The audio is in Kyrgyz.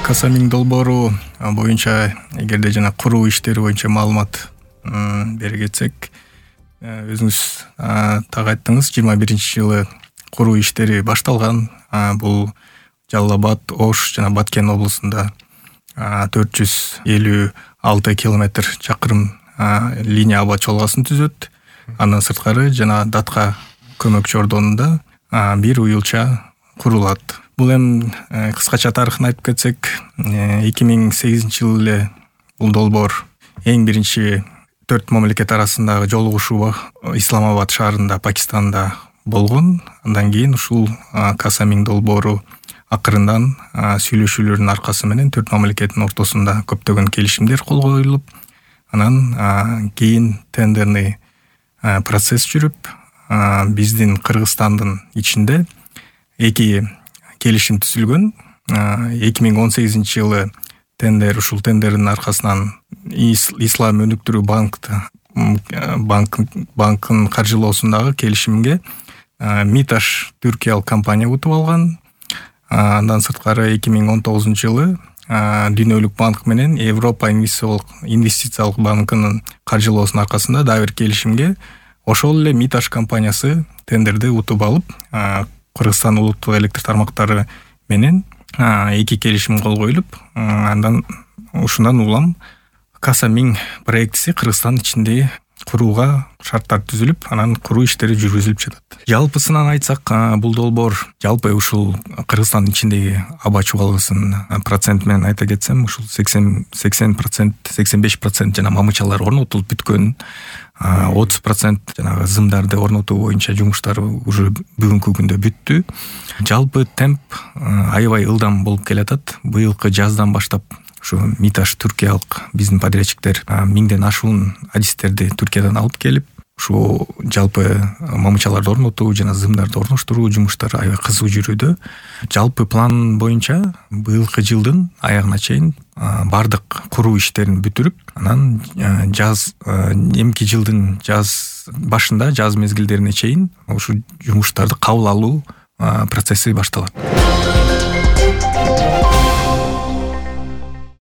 Касамин долбоору боюнча эгерде жана куруу иштери боюнча маалымат бере кетсек, өзүңүз так айттыңыз, 21-жылы куруу иштери башталган. Бул Жалал Абад, Ош жана Баткен облусунда 456 километр чакырым линия аба чолгоосун түзөт. Андан сырткары жана Датка көмөкчү ордонунда бир уюлча курулат. Бул эми кыскача тарыхын айтып кетсек, 2008-жылы эле бул долбоор эң биринчи 4 мамлекет арасындагы жолугушуу Исламабад шаарында, Пакистанда болгон. Андан кийин ушул Касамин долбоору акырындан сүйлөшүүлөрдүн аркасы менен 4 мамлекеттин ортосунда көптөгөн келишимдер кол коюлуп, анан кийин тендерный процесс жүрүп, биздин Кыргызстандын ичинде 2 келишим түзүлгөн. 2018-жылы ушул тендердин аркасынан Ислам өнүктүрүү банкын каржылоосундагы келишимге Миташ түркиялык компания утуп алган. Андан сырткары 2019-жылы Дүйнөлүк банк менен Европа инвестициялык банкынын каржылоосунун аркасында дагы бир келишимге ошол эле Миташ компаниясы тендерди утуп алып, Кыргызстан улуттук электр тармактары менен 2 келишим кол коюлуп, андан ушундан улам Касамин проектиси Кыргызстан ичинде курууга шарттар түзүлүп, анан куруу иштери жүргүзүлүп жатат. Жалпысынан айтсак, бул долбоор жалпы ушул Кыргызстан ичиндеги аба чугалгысын процент менен айта кетсем, ушул 80%, 85% жана мамычалар орнотулуп бүткөн, 30% жанагы зымдарды орнотуу боюнча жумуштар уже бүгүнкү күндө бүттү. Жалпы темп аябай ылдам болуп келатат. Быйылкы жаздан баштап ушу Миташ түркиялык биздин подрядчиктер 1000ден ашуун адистерди Түркиядан алып келип, ушу жалпы мамычаларды орнотуу жана зымдарды орноштуруу жумуштары аябай кызуу жүрүүдө. Жалпы план боюнча быйылкы жылдын аягына чейин бардык куруу иштерин бүтүрүп, анан эмки жылдын жаз башында, жаз мезгилдерине чейин ушу жумуштарды кабыл алуу процесси башталат.